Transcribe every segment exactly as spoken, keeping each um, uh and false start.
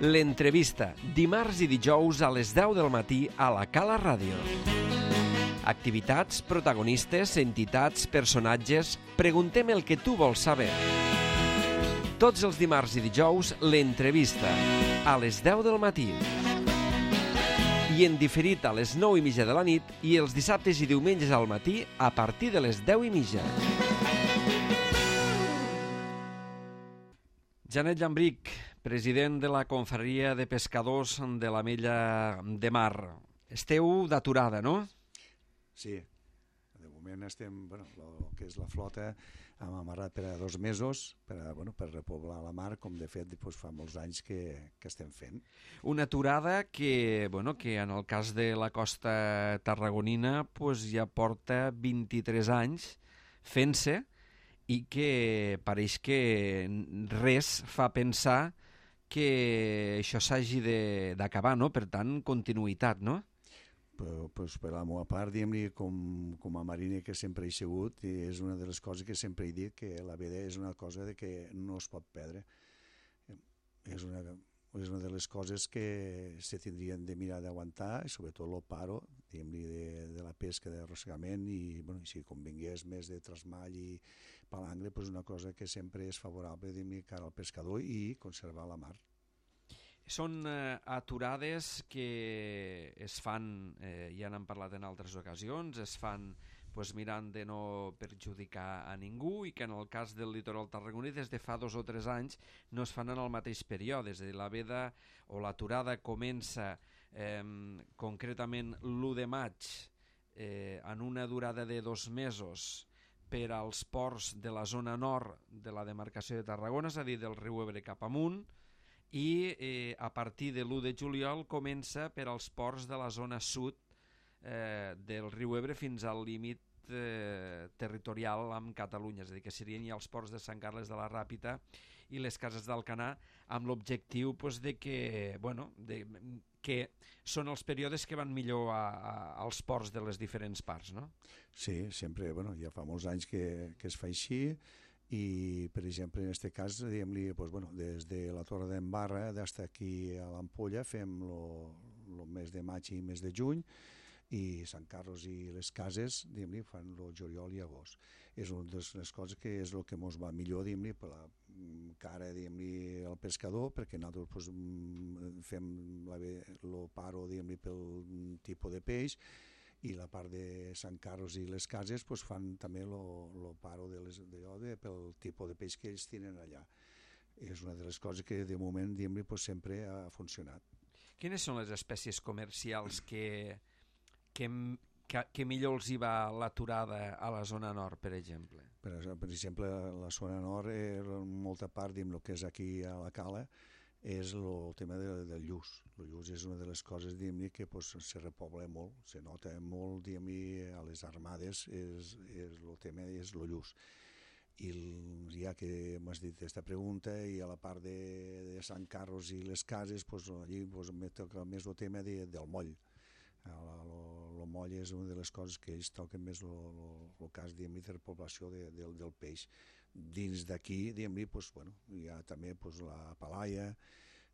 L'entrevista, dimarts i dijous a les deu del matí a la Cala Ràdio. Activitats, protagonistes, entitats, personatges... Preguntem el que tu vols saber. Tots els dimarts i dijous, l'entrevista, a les deu del matí. I en diferit a les nou i mitja de la nit i els dissabtes i diumenges al matí a partir de les deu i mitja. Janet Llambrich, president de la Confraria de Pescadors de l'Ametlla de Mar. Esteu d'aturada, no? Sí, de moment estem, bueno, el que és la flota hem amarrat per a dos mesos per, a, bueno, per repoblar la mar, com de fet doncs, fa molts anys que, que estem fent. Una aturada que, bueno, que en el cas de la costa tarragonina pues, ja porta vint-i-tres anys fent-se i que pareix que res fa pensar que això s'hagi d'acabar, no? Per tant, continuïtat, no? Però, pues, per la meva part, diguem-li, com, com a mariner que sempre he sigut, és una de les coses que sempre he dit, que la veda és una cosa de que no es pot perdre. És una, és una de les coses que se tindrien de mirar d'aguantar, i sobretot el paro, diguem-li, de, de la pesca d'arrossegament, i, bueno, i si convingués més de trasmall i palangre, pues una cosa que sempre és favorable, diguem-li, cara al pescador i conservar la mar. Són eh, aturades que es fan, eh, ja n'hem parlat en altres ocasions, es fan pues, mirant de no perjudicar a ningú i que en el cas del litoral tarragoní des de fa dos o tres anys no es fan en el mateix període, és a dir, la veda o l'aturada comença eh, concretament l'u de maig eh, en una durada de dos mesos per als ports de la zona nord de la demarcació de Tarragona, és a dir, del riu Ebre cap amunt, i eh, a partir de l'u de juliol comença per als ports de la zona sud eh, del riu Ebre fins al límit eh, territorial amb Catalunya, és a dir, que serien ja els ports de Sant Carles de la Ràpita i les Cases d'Alcanar, amb l'objectiu pues, de que, bueno, de, que són els períodes que van millor a, a, als ports de les diferents parts, no? Sí, sempre, bueno, ja fa molts anys que, que es fa així, i per exemple en aquest cas diguem-li, pues, bueno, des de la Torre d'en Barra fins aquí a l'Ampolla fem el mes de maig i mes de juny, i Sant Carlos i les Cases diguem-li fan el juliol i agost. És una de les coses que és el que ens va millor, diguem-li, per la cara, diguem-li, al pescador, perquè nosaltres pues, fem el paro, diguem-li, pel tipus de peix, i la part de Sant Carlos i les Cases pues, fan també el paro de les, de, de, pel tipus de peix que ells tenen allà. És una de les coses que de moment diguem-li, pues, sempre ha funcionat. Quines són les espècies comercials que, que, que, que millor els hi va l'aturada a la zona nord, per exemple? Per, per exemple, la zona nord, eh, molta part, diguem, el que és aquí a la Cala, és el tema de, del lluç. El lluç és una de les coses, diguem-ne, que pues, se repobla molt, se nota molt, diguem-ne, a les armades, és, és, el tema és el lluç. I el, ja que m'has dit aquesta pregunta, i a la part de, de Sant Carlos i les Cases, pues, allí pues, me toca més el tema de, del moll. El moll és una de les coses que ells toquen més el cas, diguem-ne, de repoblació de, de, del peix. Dins d'aquí, diguem-ne, pues, bueno, hi ha també pues, la palaia,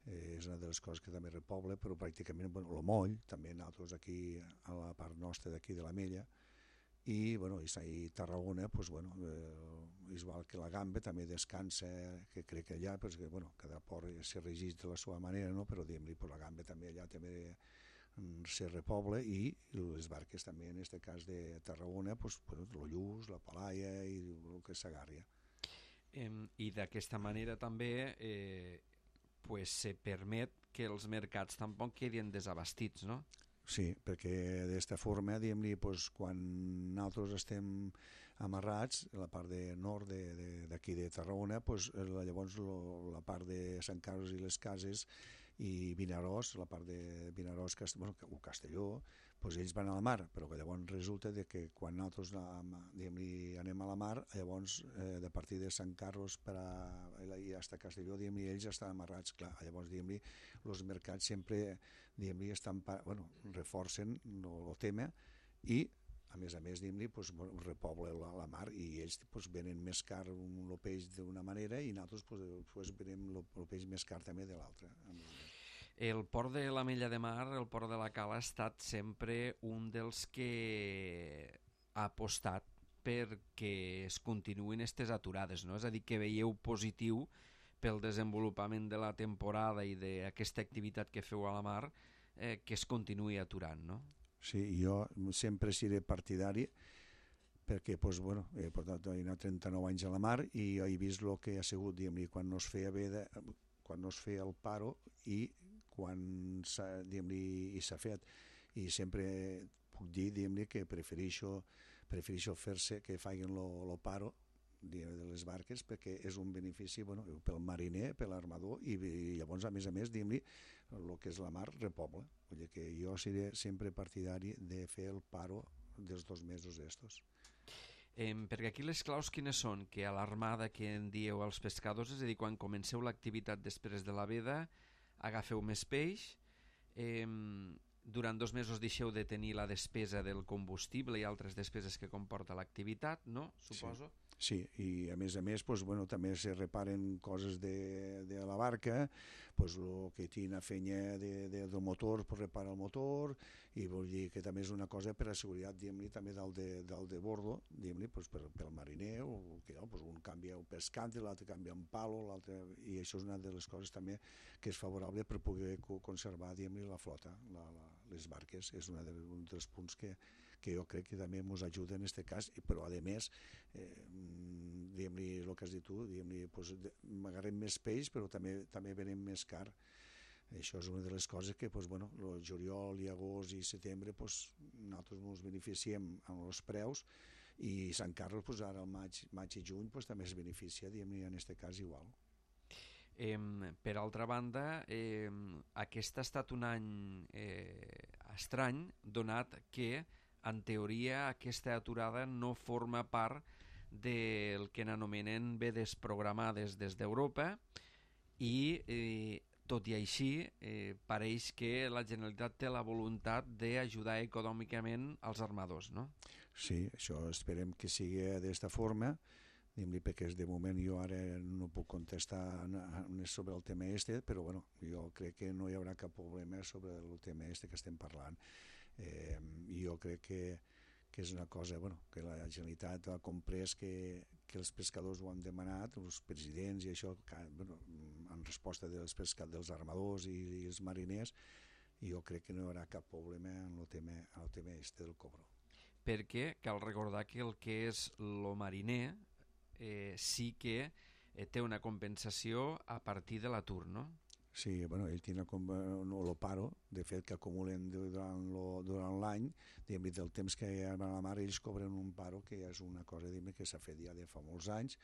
eh, és una de les coses que també repobla, però pràcticament bueno, el moll, també nosaltres aquí a la part nostra d'aquí de l'Ametlla, i, bueno, i Tarragona, pues, bueno, eh, igual que la gamba, també descansa, que crec que allà, perquè, bueno, cada port se regeix de la seva manera, no? Però diguem-ne, pues, la gamba també allà també se repobla, i les barques també, en aquest cas de Tarragona, pues, el lluç, la palaia i el que s'agarria. Eh, I d'aquesta manera també eh, pues, se permet que els mercats tampoc quedin desabastits, no? Sí, perquè d'aquesta forma, diguem-li, pues, quan nosaltres estem amarrats, la part de nord d'aquí de, de, de Tarragona, pues, llavors lo, la part de Sant Carles i les Cases i Vinaròs, la part de Vinaròs, bueno, o Castelló, pues ells van a la mar, però que llavors resulta de que quan nosaltres anem a la mar, llavors eh, de partir de Sant Carlos per a, i fins a Castelló, ells estan amarrats, clar, llavors els mercats sempre estan, bueno, reforcen el tema i a més a més, pues, repobla la, la mar, i ells pues, venen més car el peix d'una manera i nosaltres pues, pues, venem el peix més car també de l'altra. El port de l'Ametlla de Mar, el port de la Cala, ha estat sempre un dels que ha apostat perquè es continuïn aquestes aturades, no? És a dir, que veieu positiu pel desenvolupament de la temporada i d'aquesta activitat que feu a la mar, eh, que es continuï aturant, no? Sí, jo sempre seré partidari perquè pues, bueno, he portat trenta-nou anys a la mar i he vist el que ha sigut, diguem-ne, quan no es feia bé de, quan no es feia el paro i quan s'ha, diguem-ne, i s'ha fet. I sempre puc dir, diguem-ne, que prefereixo, prefereixo fer-se que facin el paro de les barques perquè és un benefici, bueno, pel mariner, per l'armador i, i llavors, a més a més, diguem-ne, el que és la mar repobla. Vull dir que jo seré sempre partidari de fer el paro dels dos mesos estos. Eh, perquè aquí les claus quines són? Que a l'armada que en dieu als pescadors, és a dir, quan comenceu l'activitat després de la veda, agafeu més peix, eh, durant dos mesos deixeu de tenir la despesa del combustible i altres despeses que comporta l'activitat, no? Suposo. Sí. Sí, i a més a més pues, bueno, també se reparen coses de, de la barca, pues, el que tina fenya de, de, del motor pues, repara el motor, i vull dir que també és una cosa per a seguretat, diguem-ne, també dalt de, dalt de bordo, diguem-ne, pues, per, per al mariner, o que no, pues, un canvia un pescante, l'altre canvia un palo, l'altre, i això és una de les coses també que és favorable per poder conservar, diguem-ne, la flota, la, la, les barques, és una de, un dels punts que que jo crec que també ens ajuda en aquest cas, però a més, eh, diguem-li el que has dit tu, diguem-li, pues, agarrem més peix, però també també venem més car. Això és una de les coses que, pues, bueno, el juliol i agost i setembre, pues, nosaltres ens beneficiem amb els preus, i Sant Carles, pues, ara el maig, maig i juny, pues, també es beneficia, diguem-li, en aquest cas igual. Eh, per altra banda, eh, aquest ha estat un any eh, estrany, donat que en teoria aquesta aturada no forma part del que n'anomenen vedes programades des d'Europa i eh, tot i així eh, pareix que la Generalitat té la voluntat d'ajudar econòmicament als armadors, no? Sí, això esperem que sigui d'esta forma, perquè de moment jo ara no puc contestar sobre el tema este, però bueno, jo crec que no hi haurà cap problema sobre el tema este que estem parlant. Eh, jo crec que, que és una cosa, bueno, que la Generalitat ha comprès que, que els pescadors ho han demanat, els presidents i això, que, bueno, en resposta dels, pescadors, dels armadors i, i els mariners, i jo crec que no hi haurà cap problema en el tema, en el tema este del cobro. Perquè cal recordar que el que és lo mariner eh, sí que eh, té una compensació a partir de l'atur, no? Sí, bueno, ell té no, el paro, de fet, que acumulen durant, lo, durant l'any, del temps que hi ha a la mar, ells cobren un paro, que és una cosa que s'ha fet ja de fa molts anys.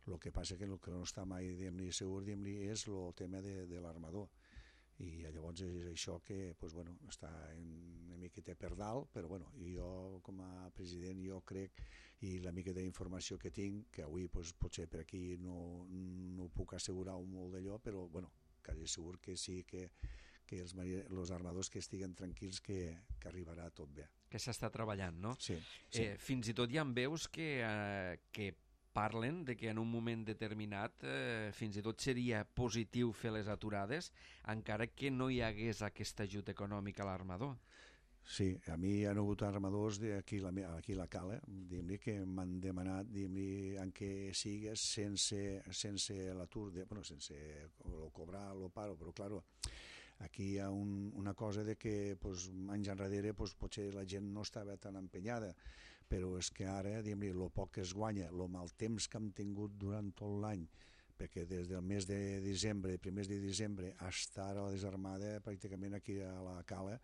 El que passa que el que no està mai segur és el tema de, de l'armador. I llavors és això que pues, bueno, està una miqueta per dalt, però bueno, jo com a president jo crec, i la mica d'informació que tinc, que avui pues, potser per aquí no, no puc assegurar molt d'allò, però bueno, quasi segur que sí que, que els, els armadors que estiguen tranquils que, que arribarà tot bé. Que s'està treballant, no? Sí. sí. Eh, fins i tot hi ha veus que, eh, que parlen de que en un moment determinat eh, fins i tot seria positiu fer les aturades encara que no hi hagués aquest ajut econòmic a l'armador. Sí, a mi hi ha hagut armadors aquí a la, aquí la Cala, diguem-li, que m'han demanat, diguem-li, en què sigues sense, sense l'atur, bueno, sense lo cobrar, lo paro, però, claro, aquí hi ha un, una cosa de que pues, anys enrere pues, potser la gent no estava tan empenyada, però és que ara, diguem-li, el poc que es guanya, el mal temps que hem tingut durant tot l'any, perquè des del mes de desembre, primers de desembre, fins ara la desarmada, pràcticament aquí a la Cala,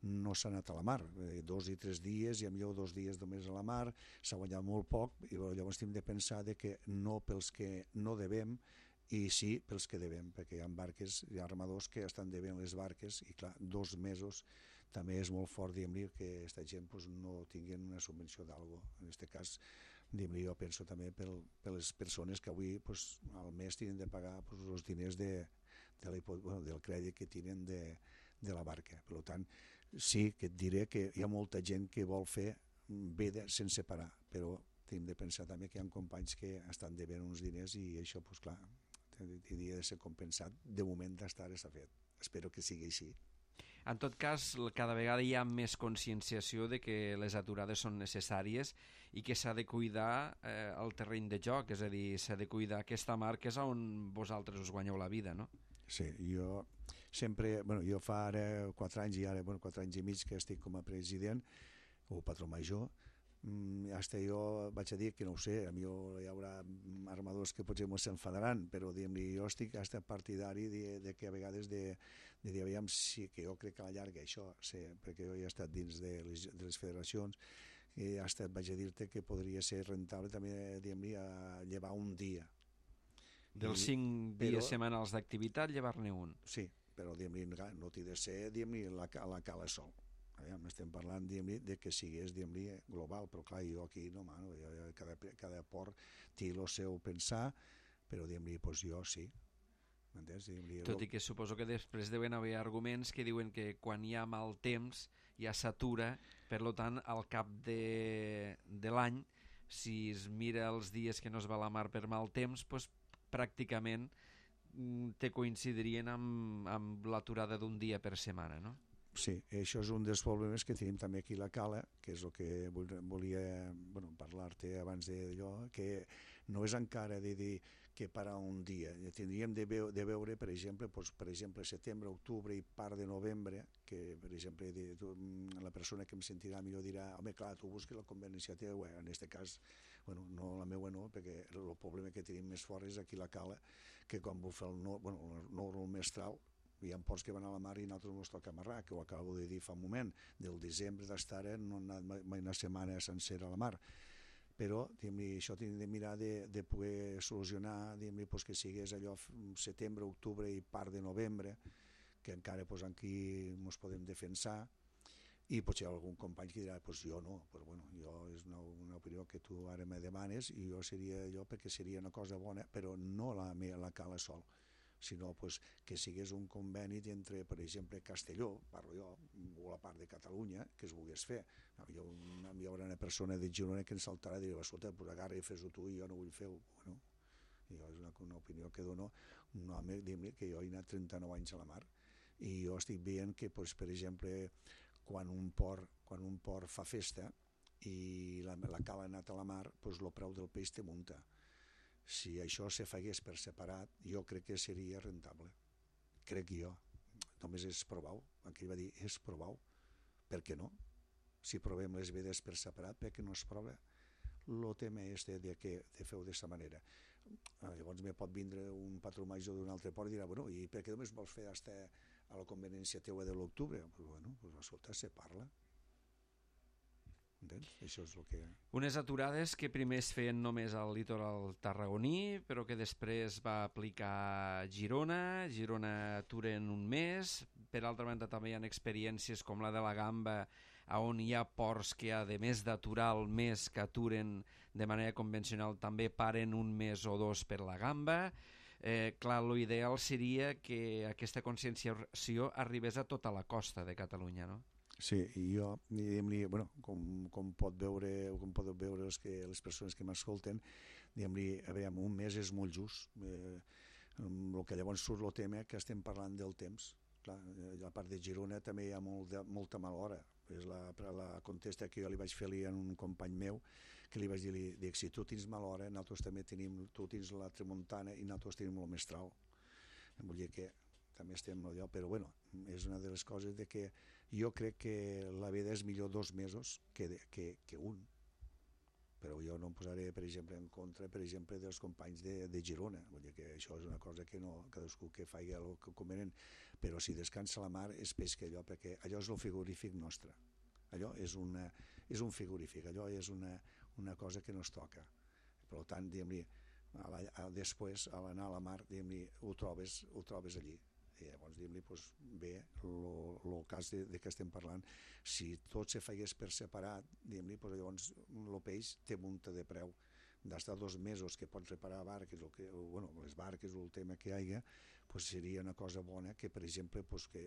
no s'ha anat a la mar, eh, dos i tres dies, i millor dos dies només a la mar, s'ha guanyat molt poc, i llavors hem de pensar de que no pels que no devem, i sí pels que devem, perquè hi ha barques, hi ha armadors que estan devent les barques, i clar, dos mesos també és molt fort, diguem-li, que aquesta gent pues, no tinguin una subvenció d'algo. En aquest cas, diguem-li, jo penso també per, per les persones que avui pues, al mes tenen de pagar pues, els diners de, de la, bueno, del crèdit que tenen de, de la barca. Per tant, sí que et diré que hi ha molta gent que vol fer veda sense parar, però hem de pensar també que hi ha companys que estan devent uns diners i això, pues, clar, hauria de ser compensat. De moment d'estar s'ha fet. espero que sigui així. En tot cas, cada vegada hi ha més conscienciació de que les aturades són necessàries i que s'ha de cuidar eh, el terreny de joc, és a dir, s'ha de cuidar aquesta mar que és on vosaltres us guanyeu la vida, no? Sí, jo sempre, bueno, jo fa ara quatre anys i ara, bueno, quatre anys i mig que estic com a president o patró major. Mm, hasta jo vaig a dir que no ho sé, a mi hi haurà armadors que potser mos s'enfadaran, però diguem-li, jo estic hasta partidari de, de que a vegades de, de dir, aviam, sí, que jo crec que a la llarga això, sí, perquè jo he estat dins de les, de les federacions i hasta vaig a dir-te que podria ser rentable també, diguem-li, a llevar un dia. Dels cinc però, dies setmanals d'activitat, llevar-ne un. Sí, però diguem-li, no t'hi de ser, diguem-li, la, la cala sol. Aviam, estem parlant, diguem-li, de que sigués, diguem-li, global, però clar, jo aquí no, mano, jo, cada, cada port té el seu pensar, però diguem-li, doncs jo sí. M'entens? Tot i que suposo que després deuen haver arguments que diuen que quan hi ha mal temps ja s'atura, per tant, al cap de, de l'any, si es mira els dies que no es va a la mar per mal temps, doncs pràcticament te coincidirien amb, amb l'aturada d'un dia per setmana, no? Sí, això és un dels problemes que tenim també aquí a la Cala, que és el que volia bueno, parlar-te abans d'allò, que no és encara de dir que parar un dia. Tindríem de, veu, de veure, per exemple, doncs, per exemple, setembre, octubre i part de novembre, que, per exemple, de, tu, la persona que em sentirà millor dirà, home, clar, tu busques la conveniència teva, en aquest cas, bueno, no la meva no, perquè el problema que tenim més fort és aquí a la Cala, que quan bufa el no, bueno, el nord mestral, hi ha ports que van a la mar i nosaltres ens toca amarrar, que ho acabo de dir fa un moment, del desembre d'estar no he anat mai una setmana sencera a la mar, però això hem de mirar de, de poder solucionar, pues, que sigués allò setembre, octubre i part de novembre, que encara pues, aquí ens podem defensar, i potser algun company que dirà, pues jo no, però bueno, jo és una, una opinió que tu ara me demanes i jo seria allò perquè seria una cosa bona, però no la, la Cala sol, sinó pues, que sigués un conveni entre, per exemple, Castelló, parlo jo, o la part de Catalunya, que es volgués fer. Hi haurà una persona de Girona que ens saltarà i dirà, escolta, pues agarra i fes-ho tu i jo no vull fer-ho. Bueno, i jo és una, una opinió que dono un home, diguem-li, que jo he anat trenta-nou anys a la mar i jo estic veient que, pues, per exemple, quan un port, quan un port fa festa i la, la cala ha anat a la mar, pues, el preu del peix te munta. Si això se fagués per separat, jo crec que seria rentable. Crec jo. Només és provar-ho. Aquí va dir, és provar-ho. Per què no? Si provem les vedes per separat, per què no es prova? El tema és de, de que de feu d'aquesta manera. Llavors me pot vindre un patró major d'un altre port i dirà, bueno, i per què només vols fer hasta a la conveniència teua de l'octubre? Pues bueno, pues escolta, se parla. Entens? Això és el que... Unes aturades que primer es feien només al litoral tarragoní, però que després va aplicar a Girona. Girona atura en un mes. Per altra banda, també hi ha experiències com la de la Gamba, on hi ha ports que, a més d'aturar el mes que aturen de manera convencional, també paren un mes o dos per la Gamba. Eh, clar, l'ideal seria que aquesta conscienciació arribés a tota la costa de Catalunya, no? Sí, i jo, diguem-li, bueno, com, com pot veure, o com podeu veure els que, les persones que m'escolten, diguem-li, a veure, un mes és molt just. Eh, el que llavors surt el tema que estem parlant del temps. Clar, a la part de Girona també hi ha molt de, molta mala hora. És la, la contesta que jo li vaig fer-li a un company meu, que li vaig dir, li dic, si tu tens mala hora, nosaltres també tenim, tu tens la tramuntana i nosaltres tenim el mestral. Vull dir que també estem allò, però bueno, és una de les coses de que jo crec que la vida és millor dos mesos que, de, que, que un, però jo no em posaré, per exemple, en contra, per exemple, dels companys de, de Girona. Vull dir que això és una cosa que no, cadascú que faci el que convenient, però si descansa la mar és peix que allò, perquè allò és el frigorífic nostre. Allò és, una, és un frigorífic, allò és una, una cosa que no es toca. Per tant, diguem-li, a la, a, després, a l'anar a la mar, diguem-li, ho trobes, ho trobes allí. I llavors, diguem-li, doncs, bé, el cas de, de què estem parlant, si tot se faigués per separat, diguem-li, doncs, llavors el peix té munta de preu. D'estar dos mesos que pots reparar barques, o que, o, bueno, les barques o el tema que hi hagi, doncs seria una cosa bona que, per exemple, doncs, que,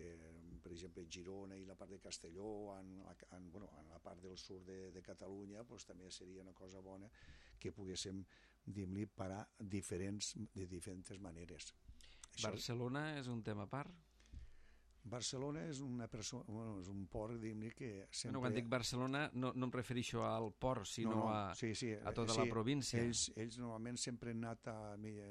per exemple, Girona i la part de Castelló, en la, en, bueno, en la part del sud de, de Catalunya, doncs, també seria una cosa bona que poguéssim, diguem-li, parar diferents, de diferents maneres. Barcelona és un tema a part? Barcelona és una persona, bueno, és un port, diguem-ne, que sempre... Bueno, quan dic Barcelona no, no em refereixo al port, sinó no, no, a, sí, sí, a tota sí, la província. Ells, ells normalment sempre han anat a,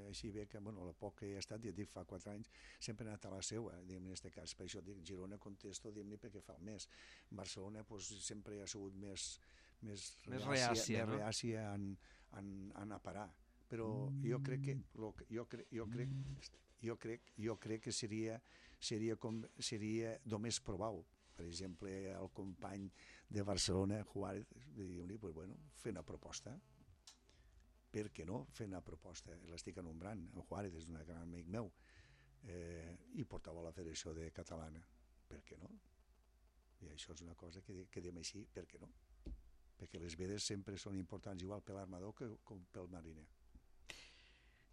així bé que, bueno, la poc que he estat, ja et dic, fa quatre anys, sempre han anat a la seua, diguem-ne, en aquest cas. Per això dic, Girona contesto, diguem-ne, perquè fa el mes. Barcelona, pues, sempre ha sigut més, més, més reàcia, reàcia, més no? reàcia en, en, en a parar. Però jo crec que, lo, jo crec, jo crec, jo crec, jo crec que seria, seria, com, seria només provar-ho. Per exemple, el company de Barcelona, Juárez, diu-li, pues bueno, fer una proposta. Per què no fer una proposta? L'estic enombrant, el Juárez és un gran amic meu, eh, i portava la Federació de Catalana. Per què no? I això és una cosa que, que diem així, per què no? Perquè les vedes sempre són importants, igual per l'armador que com pel mariner.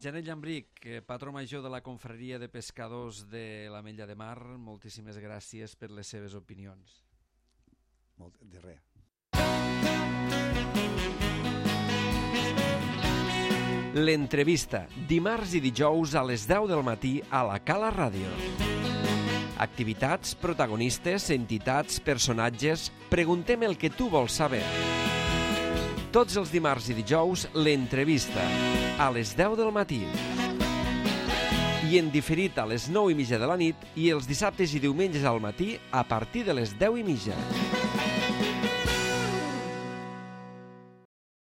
Janet Llambric, patró major de la Confraria de Pescadors de l'Ametlla de Mar, moltíssimes gràcies per les seves opinions. Molt, de res. L'entrevista, dimarts i dijous a les deu del matí a la Cala Ràdio. Activitats, protagonistes, entitats, personatges... Preguntem el que tu vols saber. Tots els dimarts i dijous, l'entrevista, a les deu del matí. I en diferit a les nou i mitja de la nit i els dissabtes i diumenges al matí a partir de les deu i mitja.